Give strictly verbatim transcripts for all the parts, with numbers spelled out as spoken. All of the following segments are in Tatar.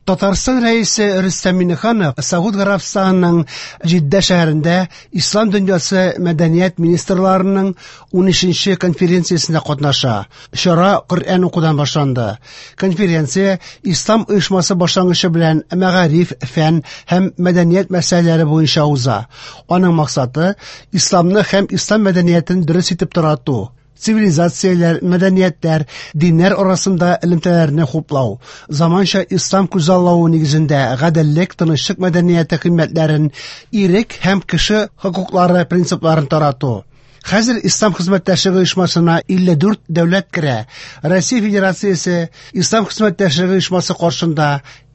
Татарстан Рәисе Рөстәм Миңнеханов Сауд Гарәбстанының Җиддә шәһәрендә Ислам дөньясы мәдәният министрларының унөченче конференциясендә катнаша. Чара Коръән укудан башланды. Конференция Ислам оешмасы башлангычы белән мәгариф, фән һәм мәдәният мәсьәләләре буенча уза. Аның максаты исламны һәм ислам мәдәниятен дөрес итеп тарату, цивилизацияләр, мәдәниятләр, диннәр арасында элемтәләрне хуплау, заманча ислам күзаллавы нигезендә гаделлек, тынычлык мәдәнияте кыйммәтләрен, ирек һәм кеше хокуклары принципларын тарату. Хәзер Ислам хезмәттәшлеге оешмасына илле дүрт дәүләт керә. Россия Федерациясе Ислам хезмәттәшлеге оешмасы каршында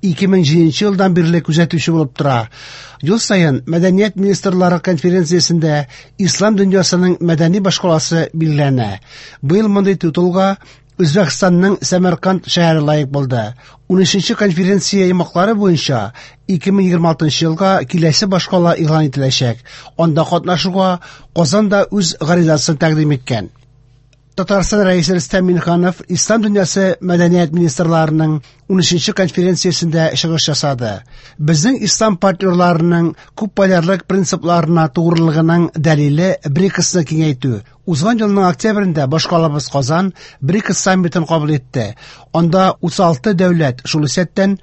ике мең җиденче елдан бирле күзәтүче булып тора. Ел саен Мәдәният министрлары конференциясендә Ислам дөньясының мәдәни башкаласы билгеләнә. Быел мондый титулга Үзбәкстанның Сәмәрканд шәһәре лаек булды. Унөченче конференция йомгаклары буенча ике мең егерме алтынчы елга киләсе башкала игълан ителәчәк. Анда катнашуга Казан да үз гаризасын тәкъдим иткән. Татарстан Рәисе Рөстәм Миңнеханов Ислам дөньясы мәдәният министрларының унөченче конференциясендә чыгыш ясады. Безнең ислам партнерларының күпполярлык принципларына тугрылыгының дәлиле БРИКСны киңәйтү. Узган елның октябрендә башкалабыз Казан БРИКС саммитын кабул итте. Анда утыз алты дәүләт, шул исәптән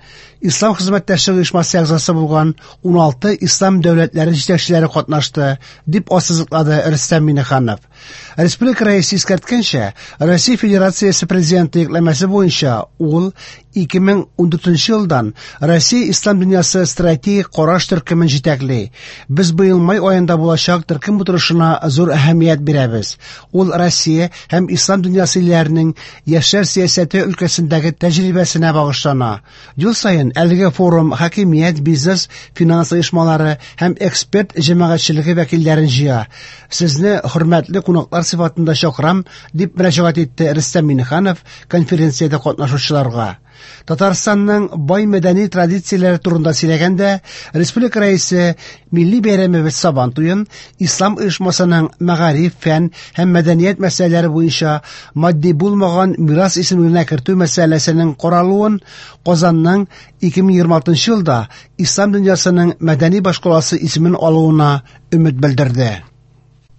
Ислам хезмәттәшлеге оешмасы әгъзасы булган уналты ислам дәүләтләре җитәкчеләре катнашты, дип ассызыклады Рөстәм Миңнеханов. Республика рәисе искәрткәнчә, Россия Федерациясе президенты йөкләмәсе буенча ул ике мең ундүртенче елдан Россия Ислам дөньясы стратегик караш төркемен җитәкли. Без быел май аенда булачак төркем утырышына зур әһәмият бирәбез. Ул Россия һәм Ислам дөньясы илләренең яшьләр сәясәте өлкәсендәге тәҗрибәсенә багышлана. Ел саен әлеге форум хакимият, бизнес, финанс оешмалары һәм эксперт җәмәгатьчелеге вәкилләрен җыя. Сезне хөрмәтле кунаклар сыйфатында чакырам, дип мөрәҗәгать итте Рөстәм Миңнеханов конференциядә катнашучыларга. Татарстанның бай мәдәни традицияләре турында сөйләгәндә, республика рәисе милли бәйрәмебез Сабан туен Ислам оешмасының мәгариф, фән һәм мәдәният мәсьәләләре буенча матди булмаган мирас исемлегенә кертү мәсьәләсенең каралуын Казанның ике мең егерме алтынчы елда Ислам дөньясының мәдәни башкаласы исемен алуына өмет белдерде.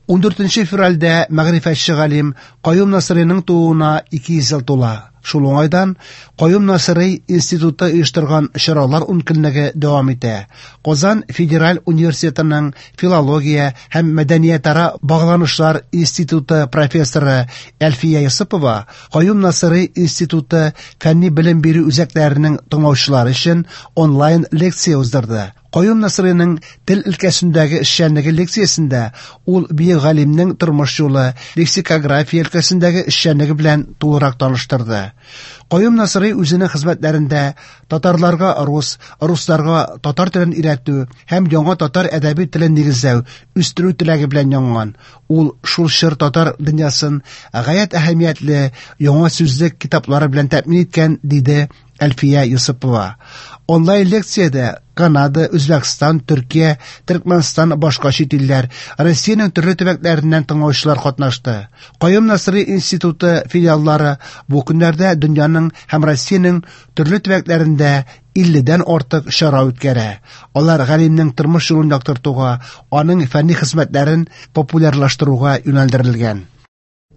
Ундүртенче февральдә мәгърифәтче галим Каюм Насыйриның тууына ике йөз ел тула. Шул уңайдан Каюм Насыйри институты оештырган чаралар ункөнлеге дәвам итә. Казан федераль университетының филология һәм мәдәниятара багланышлар институты профессоры Әлфия Йосыпова Каюм Насыйри институты фәнни белем бирү үзәкләренең тыңлаучылары өчен онлайн лекция уздырды. Каюм Насыйриның тел өлкәсендәге эшчәнлеге лекциясендә ул бөек галимнең тормыш юлы, лексикография өлкәсендәге эшчәнлеге белән тулырак таныштырды. Каюм Насыйри үзенең хезмәтләрендә татарларга рус, русларга татар телен өйрәтү һәм яңа татар әдәби телен нигезләү, үстерү теләге белән янган. Ул шул чор татар дөньясын гаять әһәмиятле яңа сүзлек китаплары белән тәэмин иткән, диде Әлфия Йосыпова. Онлайн лекциядә Канада, Үзбәкстан, Төркия, Төркмәнстан, башка чит илләр, Россиянең төрле төбәкләреннән тыңлаучылар катнашты. Каюм Насыйри институты филиаллары бу көннәрдә дөньяның һәм Россиянең төрле төбәкләрендә илледән артык чара үткәрә. Алар галимнең тормыш юлын яктыртуга, аның фәнни хезмәтләрен популярлаштыруга юнәлдерелгән.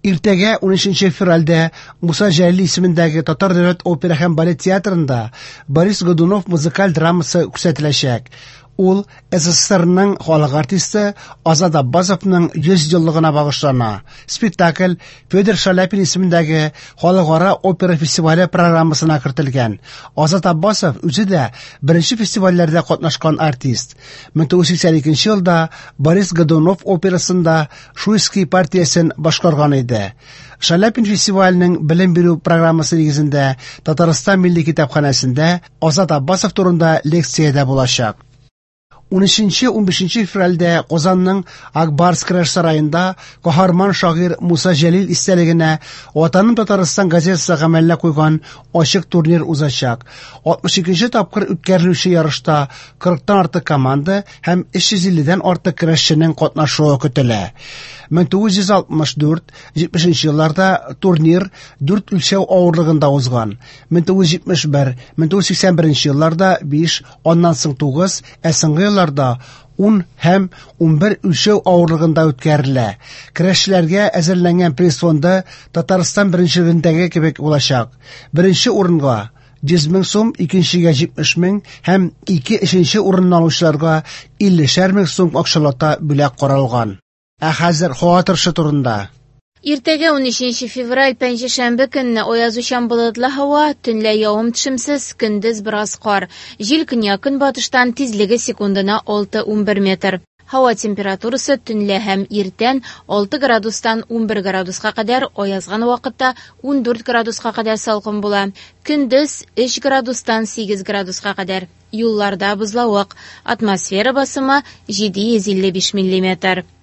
Иртәгә унөченче февральдә Муса Җәлил исемендәге Татар дәүләт опера һәм балет театрында Борис Годунов музыкаль драмасы күрсәтеләчәк. Ул СССРның халык артисты Азат Аббасовның йөз еллыгына багышлана. Спектакль Федор Шаляпин исемендәге Халыкара опера фестивале программасына кертелгән. Азат Аббасов үзе дә беренче фестивальләрдә катнашкан артист. Мең тугыз йөз сиксән икенче елда Борис Годунов операсында Шуйский партиясен башкарган иде. Шаляпин фестиваленең белем бирү программасы нигезендә Татарстан Милли китапханәсендә Азат Аббасов турында лекция дә булачак. Унөченче-унбишенче февральдә Казанның Ак Барс көрәш сараенда каһарман шагыйрь Муса Җәлил истәлегенә «Ватаным Татарстан» газетасы гамәлгә куйган ачык турнир узачак. Алтмыш икенче тапкыр үткәрелүче ярышта кырыктан артык команда һәм өч йөз илледән артык көрәшченең катнашуы көтелә. Мең тугыз йөз алтмыш дүрт, җитмешенче елларда турнир дүрт үлчәү авырлыгында узган. Мең тугыз йөз җитмеш бер, мең тугыз йөз сиксән беренче елларда биш, аннан соң тугыз, ә соңгы елларда ун һәм унбер үлчәү авырлыгында үткәрелә. Көрәшчеләргә әзерләнгән приз фонды Татарстан беренчелегендәге кебек булачак. Беренче урынга йөз мең сум, икенчегә җитмеш мең һәм ике өченче урынны алучыларга иллешәр мең сум акчалата бүләк каралган. Ә хәзер һава торышы турында. Иртәгә унөченче февраль пәнҗешәмбе көнне аязучан болытлы һава, төнлә явым-төшемсез, көндез бераз кар. Җил көньяк-көнбатыштан, тизлеге секундына алты унбер метр. Һава температурасы төнлә һәм иртән алты градустан унбер градуска кадәр, аязган вакытта ундүрт градуска кадәр салкын була. Көндез өч градустан сигез градуска кадәр. Юлларда бозлавык. Атмосфера басымы җиде йөз илле биш миллиметр.